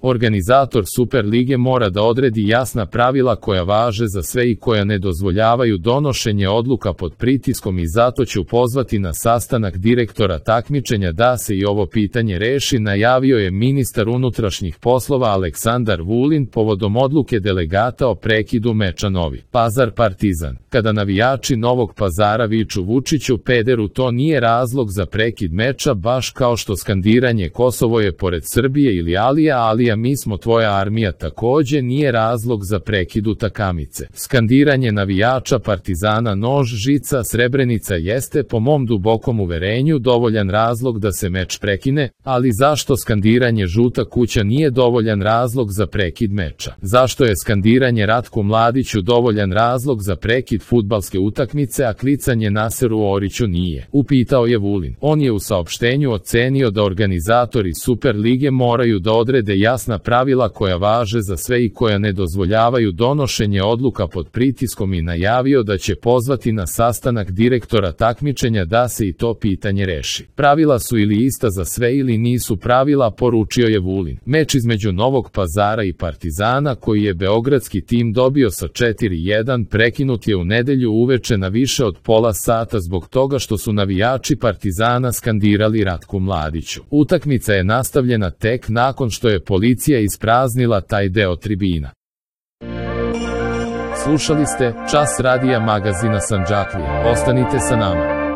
Organizator Super lige mora da odredi jasna pravila koja važe za sve i koja ne dozvoljavaju donošenje odluka pod pritiskom i zato ću pozvati na sastanak direktora takmičenja da se i ovo pitanje reši, najavio je ministar unutrašnjih poslova Aleksandar Vulin povodom odluke delegata o prekidu meča Novi Pazar Partizan. Kada navijači Novog Pazara viču Vučiću pederu, to nije razlog za prekid meča, baš kao što skandiranje Kosovo je pored Srbije ili Alija mi smo tvoja armija takođe nije razlog za prekid utakmice. Skandiranje navijača Partizana nož, žica, Srebrenica jeste po mom dubokom uverenju dovoljan razlog da se meč prekine, ali zašto skandiranje žuta kuća nije dovoljan razlog za prekid meča? Zašto je skandiranje Ratku Mladiću dovoljan razlog za prekid fudbalske utakmice, a klicanje Naseru Oriću nije? Upitao je Vulin. On je u saopštenju ocenio da organizatori Super lige moraju da odrede jasna pravila koja važe za sve i koja ne dozvoljavaju donošenje odluka pod pritiskom i najavio da će pozvati na sastanak direktora takmičenja da se i to pitanje reši. Pravila su ili ista za sve ili nisu pravila, poručio je Vulin. Meč između Novog Pazara i Partizana koji je beogradski tim dobio sa 4:1 prekinut je u nedelju uveče na više od pola sata zbog toga što su navijači Partizana skandirali Ratku Mladiću. Utakmica je nastavljena tek nakon što je policija ispraznila taj deo tribina. Slušali ste Čas radija magazina Sandžaklija. Ostanite sa nama.